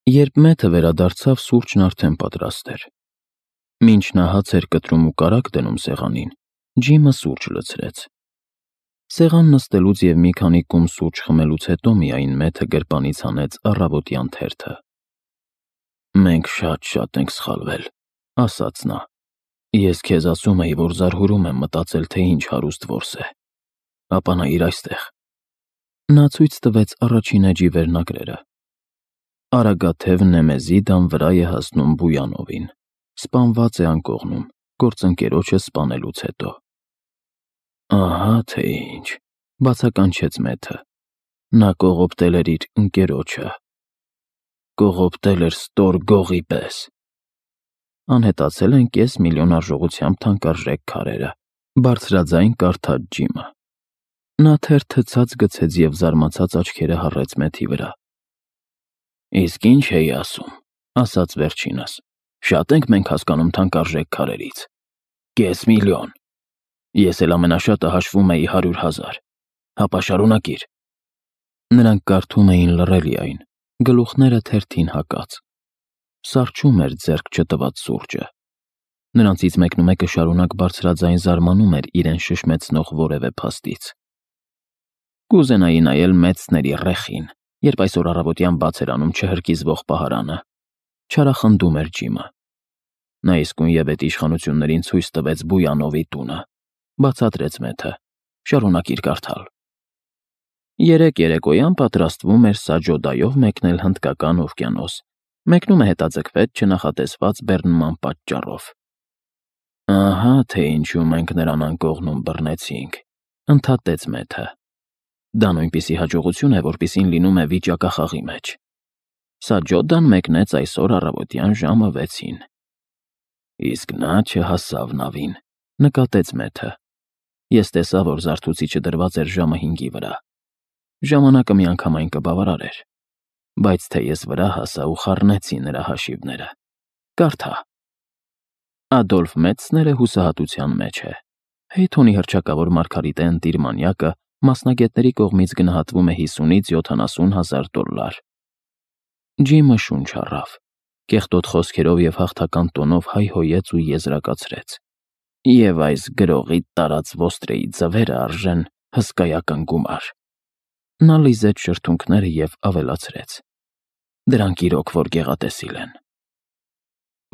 Երբ Մեթը վերադարձավ, սուրճն արդեն պատրաստ էր։ Մինչ նա հաց էր կտրում ու կարագ դնում սեղանին, Ջիմը սուրճ լցրեց։ Սեղան նստելուց և մի քանի կում սուրճ խմելուց հետո միայն Մեթը գրպանից հանեց առավոտյան թերթը։ «Մենք շատ ենք սխալվել», ասաց նա։ «Ես քեզ ասում էի, որ զարհուրում եմ մտածել, թե ինչ հարուստ որս է։ Ապա նայիր այստեղ»։ Նա ցույց տվեց առաջին էջի վերնագրերը։ Արագաթև Նեմեզիդան վրա է հասնում Բույանովին, սպանված է անկողնում, գործընկերոջը սպանելուց հետո։ Ահա թե ինչ, բացականչեց Մեթը։ Նա կողոպտել էր իր ընկերոջը։ Կողոպտել էր ստոր գողի պես։ Անհետացել են $500,000 արժողությամբ թանկարժեք քարերը, բարձրաձայն կարդաց Ջիմը։ Նա թերթը ցած գցեց և զարմացած աչքերը հառեց Մեթի վրա։ «Իսկ ինչ էի ասում», ասաց վերջինս։ «Շատ ենք մենք հասկանում թանկարժեք քարերից։ $500,000։ Ես էլ ամենաշատը հաշվում էի 100,000։ Հապա շարունակիր»։ Նրանք կարդում էին լռելիայն, գլուխները թերթին հակած։ Սառչում էր ձեռք չտված սուրճը։ Նրանցից մեկնումեկը շարունակ բարձրաձայն զարմանում էր իրեն շշմեցնող որևէ փաստից։ Կուզենայի նայել Մեծների ռեխին, երբ այսօր առավոտյան բաց էր անում չհրկիզվող պահարանը, չարախնդում էր Ջիմը։ Նա իսկույնևեթ իշխանություններին ցույց տվեց Բույանովի տունը, բացատրեց Մեթը։ Շարունակիր կարդալ։ Երեկ երեկոյան պատրաստվում էր Սաջոդայով մեկնել Հնդկական օվկիանոս, մեկնումը հետաձգվեց չնախատեսված բեռնման պատճառով։ Ահա թե ինչու մենք նրան անկողնում բռնեցինք, ընդհատեց Մեթը։ Դա նույնպիսի հաջողություն է, որպիսին լինում է վիճակախաղի մեջ։ Սաջոդան մեկնեց այսօր առավոտյան ժամը 6-ին։ Իսկ նա չհասավ նավին, նկատեց Մեթը։ Ես տեսա, որ զարթուցիչը դրված էր ժամը 5-ի վրա։ Ժամանակը միանգամայն կբավարար էր, բայց թե ես վրա հասա ու խառնեցի նրա հաշիվները։ Կարդա։ Ադոլֆ Մեծները հուսահատության մեջ է։ Հեյթոնի հռչակավոր մարգարիտե ընտիր մանյակը մասնագետների կողմից գնահատվում է $50,000-70,000։ Ջիմը շունչ առավ, կեղտոտ խոսքերով և հաղթական տոնով հայհոյեց ու եզրակացրեց. Եվ այս գրողի տարած ոստրեի ձվերը արժեն հսկայական գումար։ Նա լիզեց շրթունքները և ավելացրեց. Դրանք իրոք որ գեղատեսիլ են։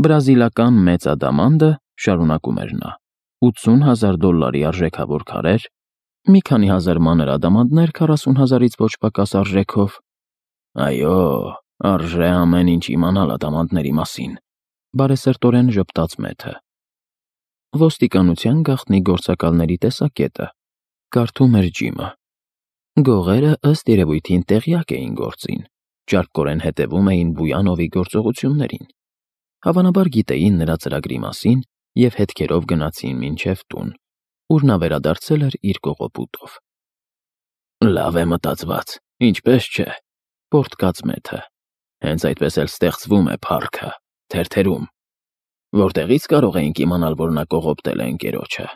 Բրազիլական մեծ ադամանդը, շարունակում էր նա, $80,000 արժեքավոր քարեր, մի քանի հազար մանր ադամանդներ 40,000-ից ոչ պակաս արժեքով։ Այո, արժե ամեն ինչ իմանալ ադամանդների մասին, բարեսրտորեն ժպտաց Մեթը։ Ոստիկանության գաղտնի գործակալների տեսակետը, կարդում էր Ջիմը։ Գողերը ըստ երևույթին տեղյակ էին գործին, ճարպկորեն հետևում էին Բույանովի գործողություններին։ Հավանաբար գիտեին նրա ծրագրի մասին և հետքերով գնացին մինչև տուն, ուր նա վերադարձել էր իր կողոպուտով։ Լավ է մտածված, ինչպես չէ, պոռթկաց Մեթը։ Հենց այդպես էլ ստեղծվում է փառքը, թերթերում։ Որտեղից կարող էինք իմանալ, որ նա կողոպտել է ընկերոջը։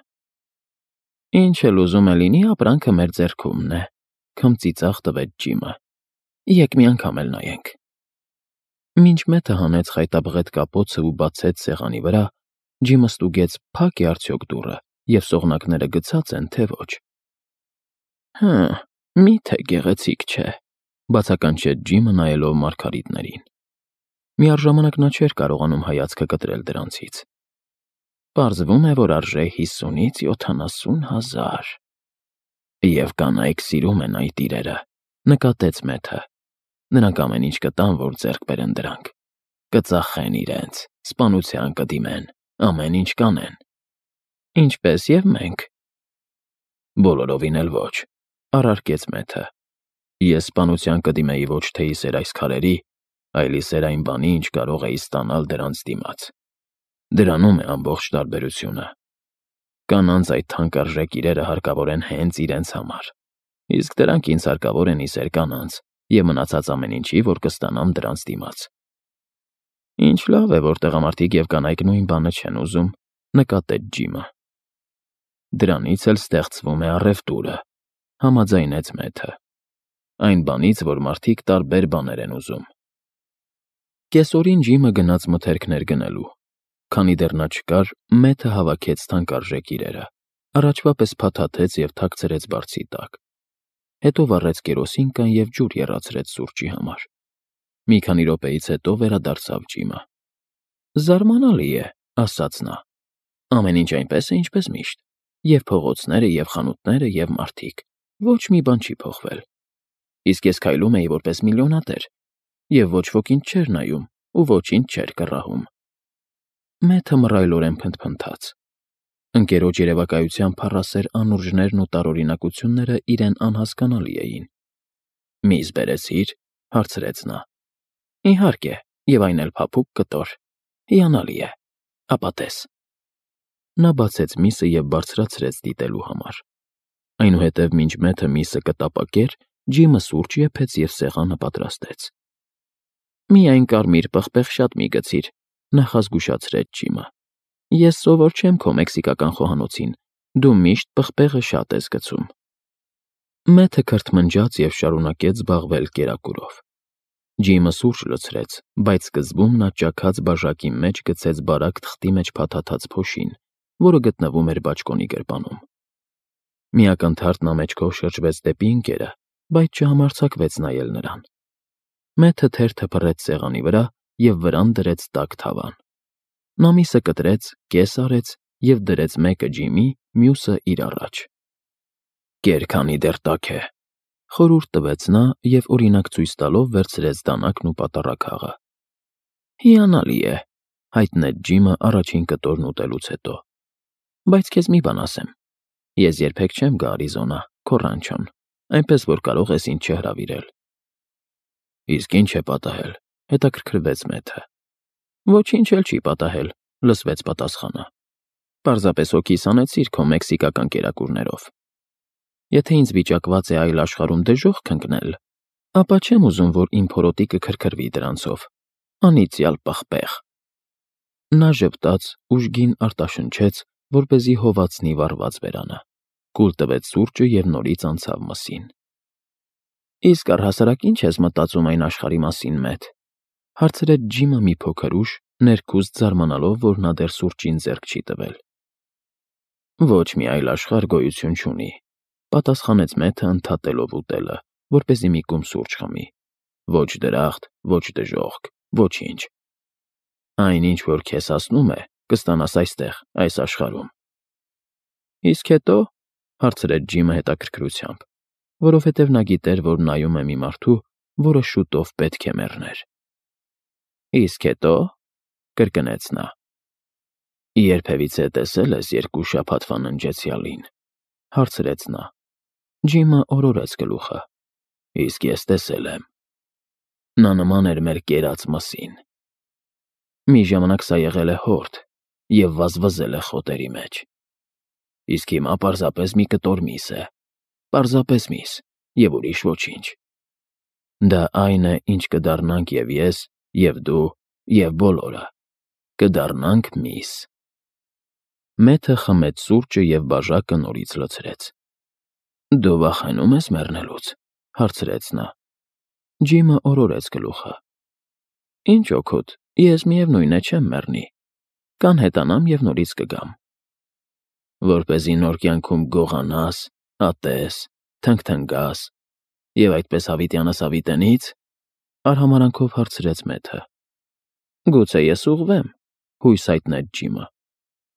Ինչ էլ ուզում է լինի, ապրանքը մեր ձեռքումն է, քմծիծաղ տվեց Ջիմը։ Եկ մի անգամ էլ նայենք։ Մինչ Մեթը հանեց խայտաբղետ կապոցը ու բացեց սեղանի վրա, Ջիմը ստուգեց փակ է արդյոք դուռը և սողնակները գցած են, թե ոչ։ Միթե գեղեցիկ չէ, բացականչեց Ջիմը նայելով մարգարիտներին։ Միառժամանակ նա չէր կարողանում հայացքը կտրել դրանցից։ Պարզվում է, որ արժե 50,000-70,000։ Եվ կանայք սիրում են այդ իրերը, նկատեց Մեթը։ Նրանք ամեն ինչ կտան, որ ձեռք բերեն դրանք։ Կծախեն իրենց, սպանության կդիմեն, ամեն ինչ կանեն։ Ինչպես և մենք։ Բոլորովին էլ ոչ, առարկեց Մեթը։ Ես սպանության կդիմեի ոչ թե իսեր այս քարերի, այլ իսեր այն բանի, ինչ կարող էի ստանալ դրանց դիմաց։ Դրանում է ամբողջ տարբերությունը։ Կանանց այդ թանկարժեք իրերը հարկավոր են հենց իրենց համար, իսկ դրանք ինձ հարկավոր են իսեր կանանց և մնացած ամեն ինչի, որ կստանամ դրանց դիմաց։ Ինչ լավ է, որ տղամարդիկ և կանայք նույն բանը չեն ուզում, նկատեց Ջիմը։ Դրանից էլ ստեղծվում է առևտուրը, համաձայնեց Մեթը։ Այն բանից, որ մարդիկ տարբեր բաներ են ուզում։ Կեսօրին Ջիմը գնաց մթերքներ գնելու։ Քանի դեռ նա չկար, Մեթը հավաքեց թանկարժեք իրերը, առաջվա պես փաթաթեց և թաքցրեց բարձի տակ։ Հետո վառեց կերոսինկան և ջուր եռացրեց սուրճի համար։ Մի քանի րոպեից հետո վերադարձավ Ջիմը։ «Զարմանալի է», ասաց նա։ «Ամեն ինչ այնպես է, ինչպես միշտ. և փողոցները, և խանութները, և մարդիկ, ոչ մի բան չի փոխվել։ Իսկ ես քայլում էի որպես միլիոնատեր, և ոչ ոք ինձ չէր նայում ու ոչինչ չէր կռահում»։ Մեթը մռայլորեն փնթփնթաց։ Ընկերոջ երևակայության փառասեր անուրջներն ու տարօրինակությունները իրեն անհասկանալի էին։ «Միս բերեցի՞ր», հարցրեց նա։ «Իհարկե, և այն էլ փափուկ կտոր։ Հիանալի է։ Ապա տես»։ Նա բացեց միսը և բարձրացրեց դիտելու համար։ Այնուհետև մինչ Մեթը միսը կտապակեր, Ջիմը սուրճ եփեց և սեղանը պատրաստեց։ «Միայն կարմիր պղպեղ շատ մի գցիր», նախազգուշացրեց Ջիմը։ «Ես սովոր չեմ քո մեքսիկական խոհանոցին, դու միշտ պղպեղը շատ ես գցում»։ Մեթը քրթմնջաց և շարունակեց զբաղվել կերակուրով։ Ջիմը սուրճ լցրեց, բայց սկզբում նա ճաքած բաժակի մեջ գցեց բարակ թղթի մեջ փաթաթած փոշին, որը գտնվում էր բաճկոնի գրպանում։ Մի ակնթարթ նա մեջքով շրջվեց դեպի ընկերը, բայց չհամարձակվեց նայել նրան։ Մեթը թերթը փռեց սեղանի վրա և վրան դրեց տաք թավան։ Նա միսը կտրեց, կես արեց և դրեց մեկը Ջիմի, մյուսը իր առաջ։ «Կեր, քանի դեռ տաք է», խորհուրդ տվեց նա և օրինակ ցույց տալով վերցրեց դանակն ու պատառաքաղը։ «Հիանալի է», հայտնեց Ջիմը առաջին կտորն ուտելուց հետո։ «Բայց քեզ մի բան ասեմ. ես երբեք չեմ գա Արիզոնա, քո ռանչոն, այնպես որ կարող ես ինձ չհրավիրել»։ «Իսկ ի՞նչ է պատահել», հետաքրքրվեց Մեթը։ «Ոչինչ էլ չի պատահել», լսվեց պատասխանը։ «Պարզապես հոգիս հանեցիր քո մեքսիկական կերակուրներով։ Եթե ինձ վիճակված է այլ աշխարհում դժոխք ընկնել, ապա չեմ ուզում, որ իմ փորոտիքը քրքրվի դրանցով։ Անիծյալ պղպեղ»։ Նա ժպտաց, ուժգին արտաշնչեց, որպեսզի հովացնի վառված բերանը, կուլ տվեց սուրճը և նորից անցավ մսին։ «Իսկ առհասարակ ի՞նչ ես մտածում այն աշխարհի մասին, Մեթ», հարցրեց Ջիմը մի փոքր ուշ, ներքուստ զարմանալով, որ նա դեռ սուրճին ձեռք չի տվել։ «Ոչ մի այլ աշխարհ գոյություն չունի», պատասխանեց Մեթը ընդհատելով ուտելը, որպեսզի մի կում սուրճ խմի։ «Ոչ դրախտ, ոչ դժոխք, ոչինչ։ Այն, ինչ որ քեզ հասնում է, կստանաս այստեղ, այս աշխարհում»։ «Իսկ հետո», հարցրեց Ջիմը հետաքրքրությամբ, որովհետև նա գիտեր, որ նայում է մի մարդու, որը շուտով պետք է մեռներ։ «Իսկ հետո», կրկնեց նա։ «Երբևիցե տեսել ես երկու շաբաթվա ննջեցյալին», հարցրեց նա։ Ջիմը օրորեց գլուխը։ «Իսկ ես տեսել եմ։ Նա նման էր մեր կերած մսին։ Մի ժամանակ սա եղել է հորդ և վազվզել է խոտերի մեջ։ Իսկ հիմա պարզապես մի կտոր միս է, պարզապես միս և ուրիշ ոչինչ։ Դա այն է, ինչ կդառնանք և ես, և դու, և բոլորը։ Կդառնանք միս»։ Մեթը խմեց սուրճը և բաժակը նորից լցրեց։ «Դու վախենում ես մեռնելուց», հարցրեց նա։ Ջիմը օրորեց գլուխը։ «Ինչ օգուտ, ես միևնույն է չեմ մեռնի։ Կանհետանամ և նորից կգամ»։ «Որպեսզի նոր կյանքում գողանաս, ատես, թնգթնգաս և այդպես հավիտյանս հավիտենի՞ց», արհամարանքով հարցրեց Մեթը։ «Գուցե ես ուղղվեմ», հույս հայտնեց Ջիմը։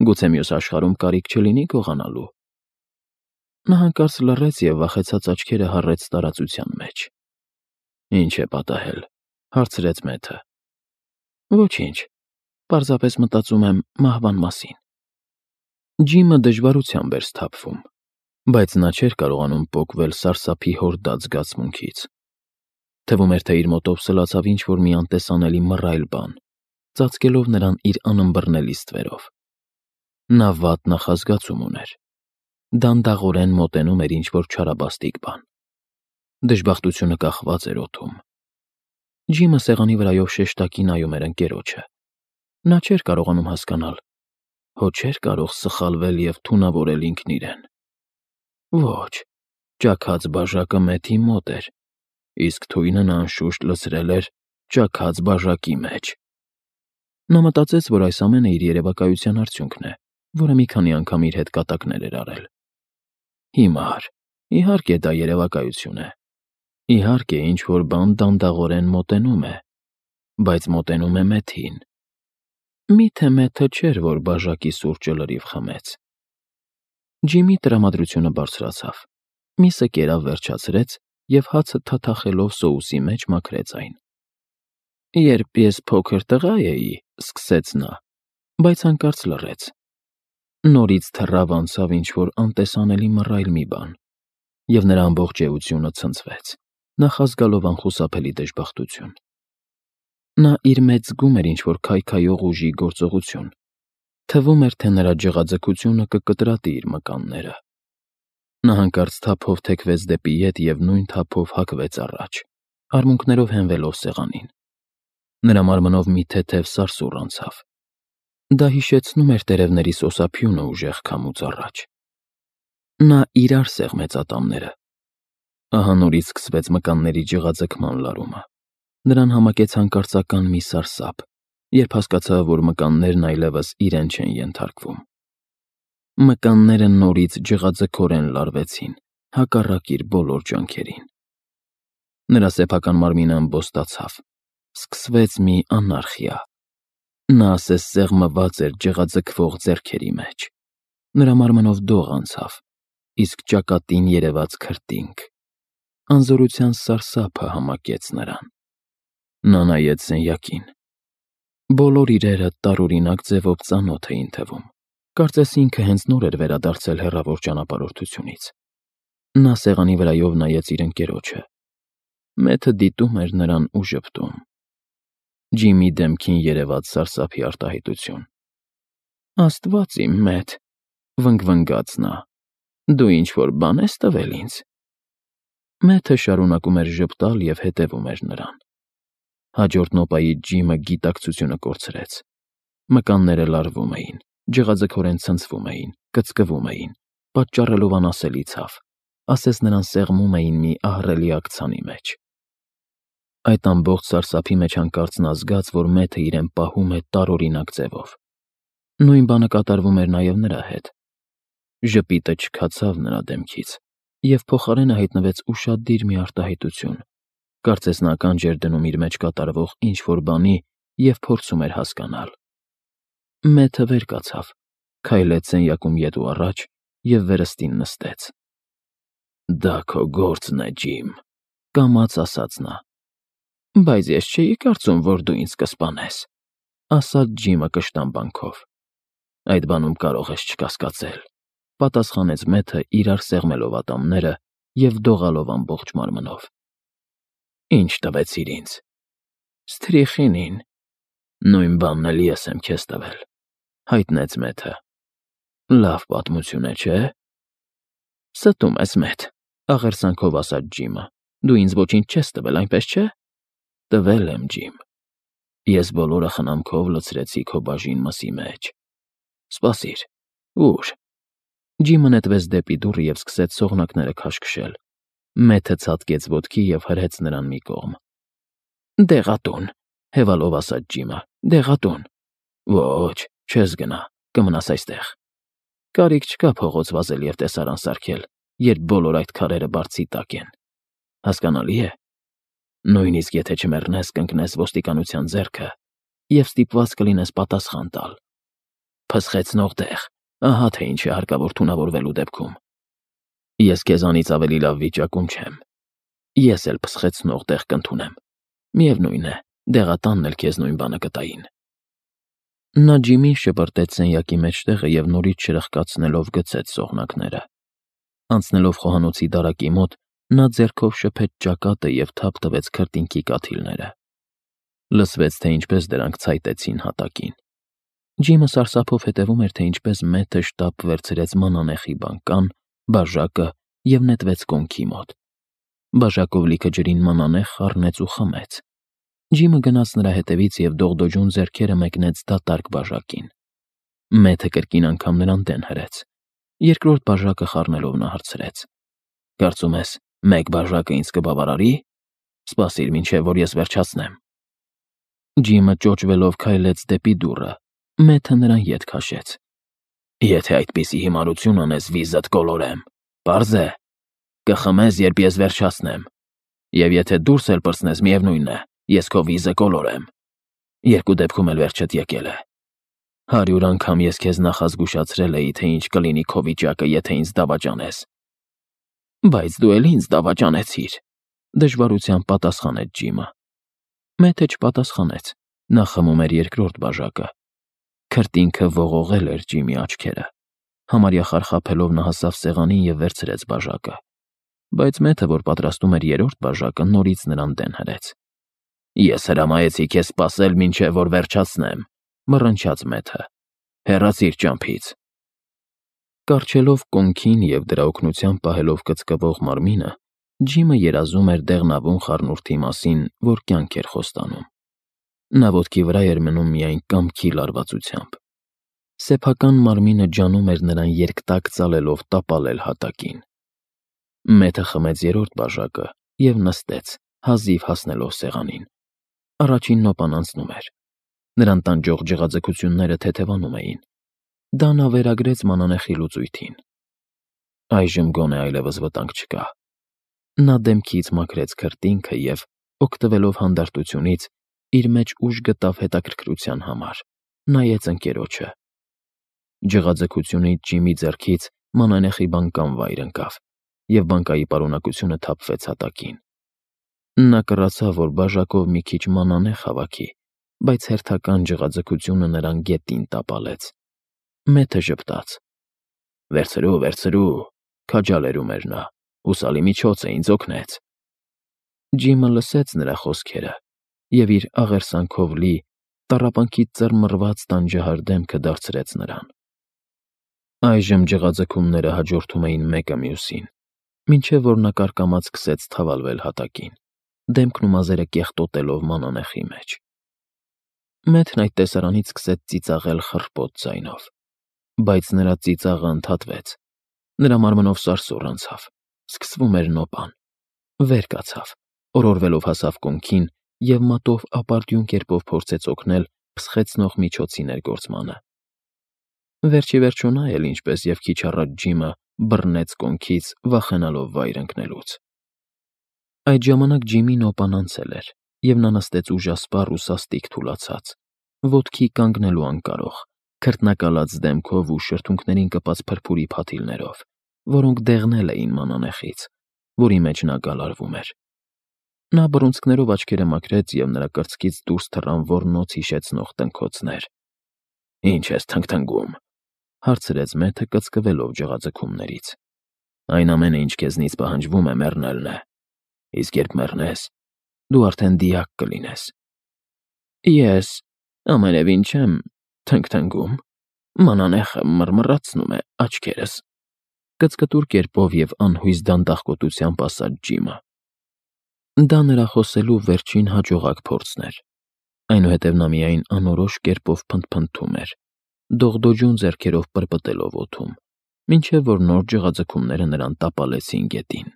«Գուցե մյուս աշխարհում կարիք չլինի գողանալու»։ Նա հանկարծ լռեց և վախեցած աչքերը հառեց տարածության մեջ։ «Ինչ է պատահել», հարցրեց Մեթը։ «Ոչինչ, պարզապես մտածում եմ մահվան մասին»։ Ջիմը դժվարությամբ էր սթափվում, բայց նա չէր կարողանում պոկվել սարսափի հորդած զգացմունքից։ Թվում էր, թե իր մոտով սլացավ ինչ-որ մի անտեսանելի մռայլ բան, ծածկելով նրան իր անըմբռնելի ստվերով։ Նա վատ նախազգացում ուներ։ Դանդաղորեն մոտենում էր ինչ-որ չարաբաստիկ բան։ Դժբախտությունը կախված էր օդում։ Ջիմը սեղանի վրայով շեշտակի նայում էր ընկերոջը։ Նա չէր կարողանում հասկանալ, հո չէր կարող սխալվել և թունավորել ինքն իրեն։ Ոչ, ճաքած բաժակը Մեթի մոտ էր, իսկ թույնը նա անշուշտ լցրել էր ճաքած բաժակի մեջ։ Նա մտածեց, որ այս ամենը իր երևակայության արդյունքն է, որը մի քանի անգամ իր հետ կատակներ էր արել։ Հիմար, իհարկե դա երևակայություն է։ Իհարկե ինչ-որ բան դանդաղորեն մոտենում է, բայց մոտենում է Մեթին։ Միթե Մեթը չէր, որ բաժակի սուրճը լրիվ խմեց։ Ջիմի տրամադրությունը բարձրացավ, միսը կերավ վերջացրեց և հացը թաթախելով սոուսի մեջ մաքրեց այն։ Երբ ես փոքր տղա էի, սկսեց նա, բայց հանկարծ լռեց։ Նորից թռավ անցավ ինչ-որ անտեսանելի մռայլ մի բան, և նրա ամբողջ էությունը ցնցվեց, նախազգալով անխուսափելի դժբախտություն։ Նա իր մեջ զգում էր ինչ-որ քայքայող ուժի գործողություն։ Թվում էր, թե նրա ջղաձգությունը կկտրատի իր մկանները։ Նա հանկարծ թափով թեքվեց դեպի ետ և նույն թափով հակվեց առաջ, արմունկներով հենվելով սեղանին։ Նրա մարմնով մի թեթև սարսուռ անցավ։ Դա հիշեցնում էր տերևների սոսափյունը ուժեղ քամուց առաջ։ Նա իրար սեղմեց ատամները։ Ահա նորից սկսվեց մկանների ջղաձգման լարումը։ Նրան համակեց հանկարծական մի սարսափ, երբ հասկացավ, որ մկաններն այլևս իրեն չեն ենթարկվում։ Մկանները նորից ջղաձգորեն լարվեցին, հակառակ իր բոլոր ջանքերին։ Նրա սեփական մարմինը ըմբոստացավ։ Սկսվեց մի անարխիա։ Նա ասես սեղմված էր ջղաձգվող ձեռքերի մեջ։ Նրա մարմնով դող անցավ, իսկ ճակատին երևաց քրտինք։ Անզորության սարսափը համակեց նրան։ Նա նայեց սենյակին։ Բոլոր իրերը տարօրինակ ձևով ծանոթ էին թվում։ Կարծես ինքը հենց նոր էր վերադարձել հեռավոր ճանապարհորդությունից։ Նա սեղանի վրայով նայեց իր ընկերոջը։ Մեթը դիտում էր նրան ու ժպտում։ Ջիմի դեմքին երևաց սարսափի արտահայտություն։ Աստված իմ Մեթ, վնգվնգաց նա, դու ինչ-որ բան ես տվել ինձ։ Մեթը շարունակում էր ժպտալ և հետևում էր նրան։ Հաջորդ նոպայից Ջիմը գիտակցությունը կորցրեց։ Մկանները լարվում էին, ջղաձգորեն ցնցվում էին, կծկվում էին, պատճառելով անասելի ցավ, ասես նրան սեղմում էին մի ահռելի աքցանի մեջ։ Այդ ամբողջ սարսափի մեջ հանկարծ նա զգաց, որ Մեթը իրեն պահում է տարօրինակ ձևով։ Նույն բանը կատարվում էր նաև նրա հետ։ Ժպիտը չքացավ նրա դեմքից, և փոխարենը հայտնվեց ուշադիր մի արտահայտություն, կարծես նա ականջ էր դնում իր մեջ կատարվող ինչ-որ բանի և փորձում էր հասկանալ։ Մեթը վեր կացավ, քայլեց սենյակում ետ ու առաջ և վերստին նստեց։ Դա քո գործն է, Ջիմ, կամաց ասաց նա։ Բայց ես չէի կարծում, որ դու ինձ կսպանես, ասաց Ջիմը կշտամբանքով։ Այդ բանում կարող ես չկասկածել, պատասխանեց Մեթը իրար սեղմելով ատամները և դողալով ամբողջ մարմնով։ Ինչ տվեցիր ինձ։ Սթրիխինին։ Նույն բանն էլ ես եմ քեզ տվել, հայտնեց Մեթը։ Լավ պատմություն է, չէ՞։ Ստում ես, Մեթ, աղերսանքով ասաց Ջիմը։ Դու ինձ ոչինչ չես տվել, այնպես չէ։ Տվել եմ, Ջիմ։ Ես բոլորը խնամքով լցրեցի քո բաժին մսի մեջ։ Սպասիր, ուր։ Ջիմը նետվեց դեպի դուռը և սկսեց սողնակները քաշքշել։ Մեթը ցատկեց ոտքի և հրեց նրան մի կողմ։ Դեղատուն, հևալով ասաց Ջիմը, դեղատուն։ Ոչ, չես գնա, կմնաս այստեղ։ Կարիք չկա փողոց վազել և տեսարան սարքել, երբ բոլոր այդ քարերը բարձի տակ են։ Հասկանալի է։ Նույնիսկ եթե չմեռնես, կընկնես ոստիկանության ձեռքը և ստիպված կլինես պատասխան տալ։ Փսխեցնող տեղ, ահա թե ինչ է հարկավոր թունավորվելու դեպքում։ Ես քեզանից ավելի լավ վիճակում չեմ։ Ես էլ փսխեցնող տեղ կընդունեմ։ Միևնույն է, դեղատանն էլ քեզ նույն բանը կտային։ Նա Ջիմին շպրտեց սենյակի մեջտեղը և նորից շրխկացնելով գցեց սողնակները։ Անցնելով խոհանոցի դարակի մոտ, նա ձեռքով շփեց ճակատը և թափ տվեց քրտինքի կաթիլները։ Լսվեց, թե ինչպես դրանք ցայտեցին հատակին։ Ջիմը սարսափով հետևում էր, թե ինչպես Մեթը շտապ վերցրեց մանանեխի բանկան, բաժակը և նետվեց կոնքի մոտ։ Բաժակով լիքը ջրին մանանեխ խառնեց ու խմեց։ Ջիմը գնաց նրա հետևից և դողդոջուն ձեռքերը մեկնեց դատարկ բաժակին։ Մեթը կրկին անգամ նրան դեն հրեց։ Երկրորդ բաժակը խառնելով նա հարցրեց. Կարծում ես, մեկ բաժակը ինձ կբավարարի։ Սպասիր, մինչև որ ես վերջացնեմ։ Ջիմը ճոճվելով քայլեց դեպի դուռը, Մեթը նրան ետ քաշեց։ Եթե այդպիսի հիմարություն անես, վիզդ կոլորեմ, պարզ է, կխմես, երբ ես վերջացնեմ, և եթե դուրս էլ պրծնես, միևնույն է, ես քո վիզը կոլորեմ, երկու դեպքում էլ վերջդ եկել է։ 100 անգամ ես քեզ նախազգուշացրել էի, թե ինչ կլինի քո վիճակը, եթե ինձ դավաճանես։ Բայց դու էլ ինձ դավաճանեցիր, դժվարությամբ պատասխանեց Ջիմը։ Մեթը չպատասխանեց, նա խմում էր երկրորդ բաժակը։ Քրտինքը ողողել էր Ջիմի աչքերը։ Համարյա խարխափելով նա հասավ սեղանին և վերցրեց բաժակը։ Բայց Մեթը, որ պատրաստում էր երրորդ բաժակը, նորից նրան դեն հրեց։ Ես հրամայեցի քեզ սպասել, մինչև որ վերջացնեմ, մռնչաց Մեթը։ Հեռացիր ճամփից։ Կառչելով կոնքին և դրա օգնությամբ պահելով կծկվող մարմինը, Ջիմը երազում էր դեղնավուն խառնուրդի մասին, որ կյանք էր խոստանում։ Նա ոտքի վրա էր մնում միայն կամքի լարվածությամբ։ Սեփական մարմինը ջանում էր նրան երկտակ ծալելով տապալել հատակին։ Մեթը խմեց երրորդ բաժակը և նստեց, հազիվ հասնելով սեղանին։ Առաջին նոպան անցնում էր։ Նրան տանջող ջղաձգությունները թեթևանում էին։ Դա նա վերագրեց մանանեխի լուծույթին։ Այժմ գոնե այլևս վտանգ չկա։ Նա դեմքից մաքրեց քրտինքը և, օգտվելով հանդարտությունից, իր մեջ ուժ գտավ հետաքրքրության համար, նայեց ընկերոջը։ Ջղաձգությունից Ջիմի ձեռքից մանանեխի բանկան վայր ընկավ, և բանկայի պարունակությունը թափվեց հատակին։ Նա կռացավ, որ բաժակով մի քիչ մանանեխ հավաքի, բայց հերթական ջղաձգությունը նրան գետին տապալեց։ Մեթը ժպտաց։ Վերցրու, վերցրու, քաջալերում էր նա, հուսալի միջոց է, ինձ օգնեց։ Ջիմը լսեց նրա խոսքերը և իր աղերսանքով լի, տառապանքից ծռմռված տանջահար դեմքը դարձրեց նրան։ Այժմ ջղաձգումները հաջորդում էին մեկը մյուսին, մինչև որ նա կարկամած սկսեց թավալվել հատակին, դեմքն ու մազերը կեղտոտելով մանանեխի մեջ։ Մեթն այդ տեսարանից սկսեց ծիծաղել խռպոտ ձայնով, բայց նրա ծիծաղը ընդհատվեց։ Նրա մարմնով սարսուռ անցավ, սկսվում էր նոպան, վեր կացավ, օրորվելով հասավ կոնքին և մատով ապարդյուն կերպով փորձեց օգնել փսխեցնող միջոցի ներգործմանը։ Վերջ ի վերջո նա էլ, ինչպես և քիչ առաջ Ջիմը, բռնեց կոնքից, վախենալով վայր ընկնելուց։ Այդ ժամանակ Ջիմի նոպան անցել էր, և նա նստեց ուժասպառ ու սաստիկ թուլացած, ոտքի կանգնելու անկարող, քրտնակալած դեմքով ու շրթունքներին կպած փրփուրի փաթիլներով, որոնք դեղնել էին մանանեխից, որի մեջ նա գալարվում էր։ Նա բռունցքներով աչքերը մաքրեց, և նրա կրծքից դուրս թռան ոռնոց հիշեցնող տնքոցներ։ Ինչ ես թնգթնգում, հարցրեց Մեթը, կծկվելով ջղաձգումներից։ Այն ամենը, ինչ քեզնից պահանջվում է, մեռնելն է, իսկ երբ մեռնես, դու արդեն դիակ կլինես։ Ես ամենևին չեմ թնգթնգում, մանանեխը մռմռացնում է աչքերս, կծկտուր կերպով և անհույս դանդաղկոտությամբ ասաց Ջիմը։ Դա նրա խոսելու վերջին հաջողակ փորձն էր։ Այնուհետև նա միայն անորոշ կերպով փնթփնթում էր, դողդոջուն ձեռքերով պրպտելով օդում, մինչև որ նոր ջղաձգումները նրան տապալեցին գետին։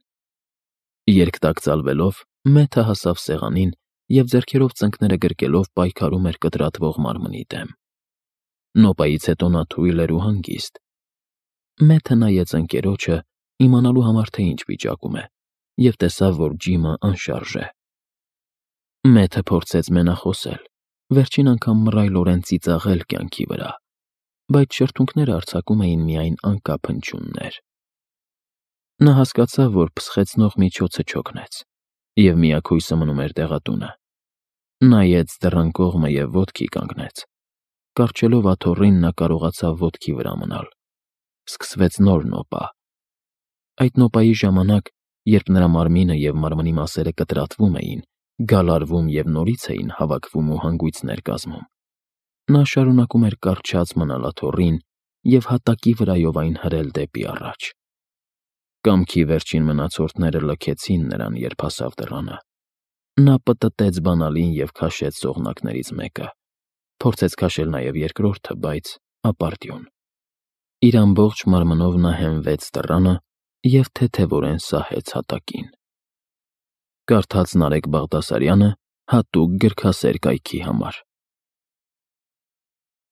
Երկտակ ծալվելով, Մեթը հասավ սեղանին և ձեռքերով ծնկները գրկելով պայքարում էր կտրատվող մարմնի դեմ։ Նոպայից հետո նա թույլ էր ու հանգիստ։ Մեթը նայեց ընկերոջը, իմանալու համար, թե ինչ վիճակում է, և տեսավ, որ Ջիմը անշարժ է։ Մեթը փորձեց մենախոսել, վերջին անգամ մռայլորեն ծիծաղել կյանքի վրա, բայց շրթունքները արձակում էին միայն անկապ հնչյուններ։ Նա հասկացավ, որ փսխեցնող միջոցը չօգնեց, և միակույսը մնում էր դեղատունը։ Նայեց դռան կողմը և ոտքի կանգնեց։ Կառչելով աթոռին, նա կարողացավ ոտքի վրա մնալ։ Սկսվեց նոր նոպա։ Այդ նոպայի ժամանակ, երբ նրա մարմինը և մարմնի մասերը կտրատվում էին, գալարվում և նորից էին հավաքվում ու հանգույցներ կազմում, նա շարունակում էր կառչած մնալ աթոռին և հատակի վրայով այն հրել դեպի առաջ։ Կամքի վերջին մնացորդները լքեցին նրան, երբ հասավ դռանը։ Նա պտտեց բանալին և քաշեց սողնակներից մեկը, փորձեց քաշել նաև երկրորդը, բայց ապարդյուն։ Իր ամբողջ մարմնով նա հենվեց դռանը և թեթևորեն սահեց հատակին։ Կարդաց Նարեկ Բաղդասարյանը հատուկ գրքասեր կայքի համար։